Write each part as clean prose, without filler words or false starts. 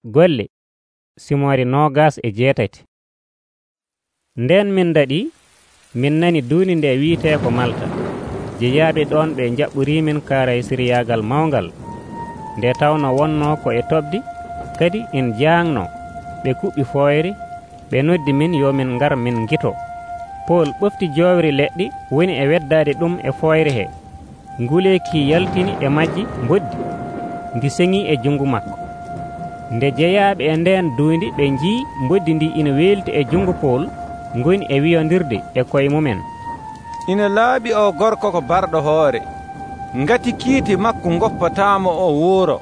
Golle Simoore 28. Nden min daɗi, min nani duuni nde wiitee ko Malta. Jeyaaɓe ɗon ɓe jaɓɓoriimin kaaraysiriyaagal mawngal, nde tawno wonnoo ko e toɓdi, kadi in jaangno. Ɓe kuɓɓi fooyre, ɓe noddi min yo min ngar min ngito. Pool ɓofti joowri leɗɗi woni e weddaade ɗum e fooyre hee. Nguleeki yaltini e majji mboddi, ndi seŋii e junngo makko. Nde jeyaaɓe e ndeen duundi ɓe njii mboddi ndi ina weelti e junngo Pool, ngoni e wiyondirde e koye mumen. Ina laaɓi o gorko ko barɗo hoore, ngati kiiti makko ngoppataamo o wuuro,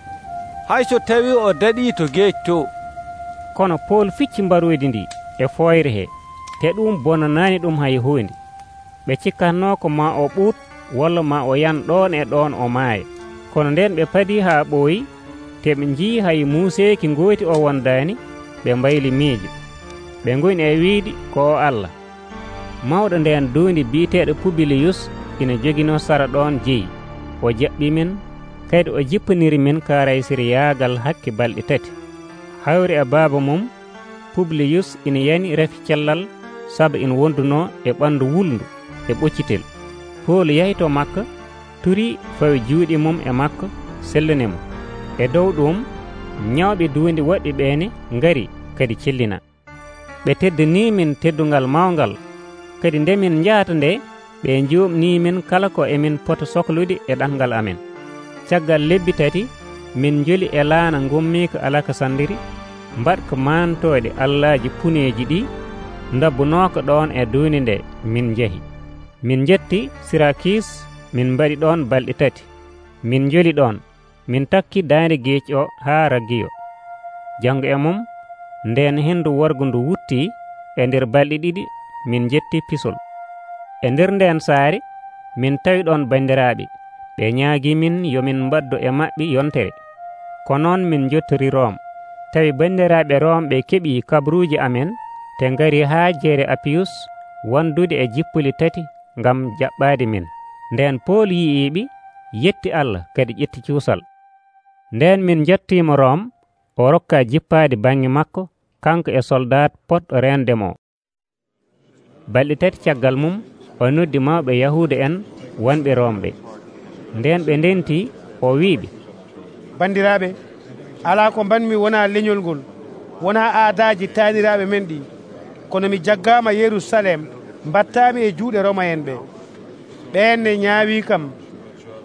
hay so tawii o daɗii to geeci to. Kono Pool ficci mbaroydi ndi e fooyre hee, te ɗum bonnanaani ɗum hay huunde. Ɓe cikkatnoo ko maa o ɓuut walla maa o yan ɗoon e ɗoon o maaya. Kono nden ɓe padii haa ɓooyi, te ɓe njii hay muuseeki ngooti o wondaani, ɓe mbayli miijo. Ɓe ngoni e wiide ko o Allah. Mawɗo ndeen duundi biiteeɗo Pubiliyus ina joginoo sara ɗoon jeyi. O jaɓɓimin, kadi o jippaniri min kaaraysiriyaagal hakke balɗe 3. Hawri e baaba mum, Pubiliyus ina yani rafi cellal sabu ina wondunoo e ɓanndu wulndu e ɓoccitel. Pool yahi to makka, turii fawi juuɗe mum e makko, sellani mo. E dow ɗum, ñawɓe duundi woɗɓe ɓeene ngari kadi cellina. Ɓe teddanii min teddungal mawngal, kadi nde min njahata nde, ɓe njuumnii min kala ko emin pota sohlude e ɗanngal amen. Caggal lebbi 3, min njoli e laana ngummiika Alakasandiri, mbaɗka maantooɗe allaaji puneeji ɗi, ndabbunooka ɗoon e duundi nde min njahi. Min njetti Sirakis, min mbaɗi ɗoon balɗe 3. Min njoli ɗoon, min takki daande geeci o haa Ragiyo. Janngo e mum, ndeen henndu worgo ndu wuttii, e nder balɗe 2 min njetti Pisol. E nder ndeen saare, min tawi ɗoon banndiraaɓe, ɓe ñaagii min yo min mbaddo e maɓɓe yontere. Ko noon min njottori Room. Tawi banndiraaɓe Room ɓe keɓii kabruuji amen, te ngari haa jeere Apiyus wondude e jippuli 3 ngam jaɓɓaade min. Ndeen Pool yi'iiɓe, yetti Allah kadi ƴetti cuusal. Ndeen min njattiimo Room, o rokkaa jippaade baŋnge makko, kanko e soldat poɗɗo reendemo. Balɗe 3 caggal mum, o noddi mawɓe Yahuuda en wonɓe Room ɓe. Ndeen ɓe ndentii, o wiiɓe, bandiraaɓe, alaa ko mbanmi wonaa leñol ngol, wonaa aadaaji taaniraaɓe men ɗi, kono mi jaggaama Yerusalem, mbattaami e juuɗe Roma en ɓe. Ɓeen ne ñaawii kam,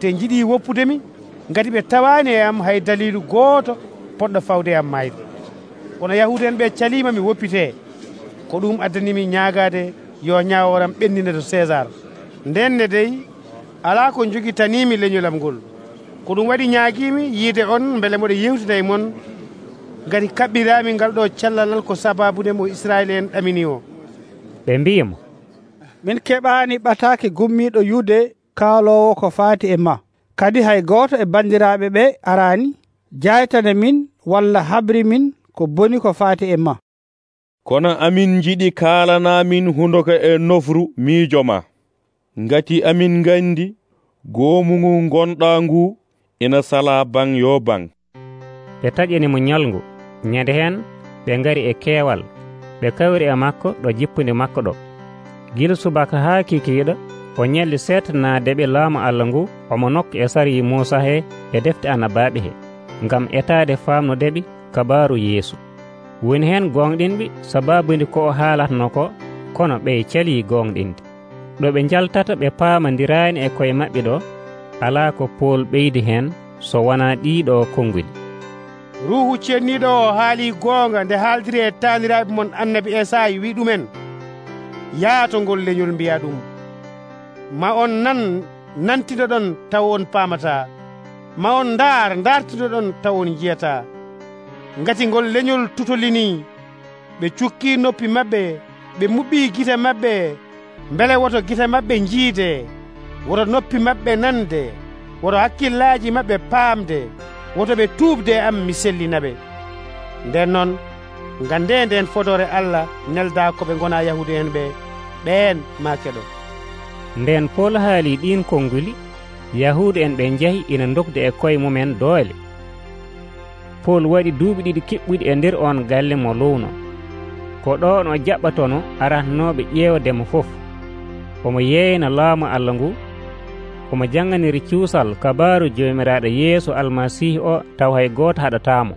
te njiɗii woppudemi, ngati ɓe tawaani e am hay daliilu gooto poɗɗo fawde am maayde. Kono Yahuuda en ɓe caliima mi woppitee, ko ɗum addanimi ñaagaade yo ñaaworam ɓennina to César. Nden ne dey, alaa ko jogitaniimi leñolam ngol, ko ɗum waɗi ñaagiimi yiide on mbele moɗo yewtina e mon, ngati kaɓɓiraami ngal ɗo callalal ko sabaabude mo Israyel en ɗamini o. Ɓe mbiyimo, min keɓaani ɓataake gummiiɗo Yude kaaloowo ko faati e ma. Kadi hay gooto e banndiraaɓe ɓe araani jaytana min walla habri min ko boni ko faati e ma. Kono amin njiɗi kaalanaamin hundoka e nofru miijo ma, ngati amin nganndi goomungu gonɗaa ngu ina salaa baŋ yo baŋ. Ɓe taƴani mo ñalngu. Ñande heen ɓe ngari e keewal, ɓe kawri e makko ɗo jippude makko ɗo. Gila subaka haa kikiiɗo, o ñalli seetanaadeɓe laamu Allah ngu omo nokka e sariyi Muusa hee e defte annabaaɓe hee, ngam etaade faamnudeɓe kabaaru Yeesu. Woni heen gonɗinɓe sabaabude ko o haalatno ko, kono ɓe calii gonɗinde. ɗo ɓe njaltata ɓe paamondiraani e koye maɓɓe ɗo, alaa ko Pool ɓeydi heen so wonaa ɗiiɗo konnguli. Ruuhu cenniiɗo o haalii goonga nde haaldiri e taaniraaɓe mon annabi Esaayi wi ɗumen, yaato ngol leñol mbiya ɗum, ma on nan nantinoɗon taw on paamataa, ma on ndaartinoɗon taw on njiyataa. Ngati ngol leñol tutolinii, ɓe cukkii noppi maɓɓe, ɓe muɓɓii gite maɓɓe, mbele woto gite maɓɓe njiide, woto noppi maɓɓe nande, woto hakkillaaji maɓɓe paamde, woto ɓe tuubde am mi sellinaɓe. Nden noon ngande nden fodore Allah nelda ko ɓe gona Yahude en ɓe, ɓeen ma keɗo. Nden Pool haali ɗin konnguli, Yahude en ɓe njahi ina dokde e koye mumen doole. Pol waɗi duuɓi 2 kiɓɓuɗi e nder on galle mo luwno. Ko ɗon o jaɓɓatono arantanooɓe ƴeewdemo fof. Omo yeeyna laamu Allah ngu, omo janganiri cuusal kabaaru Joomiraaɗo Yeesu Almasiihu o taw hay gooto haɗataamo.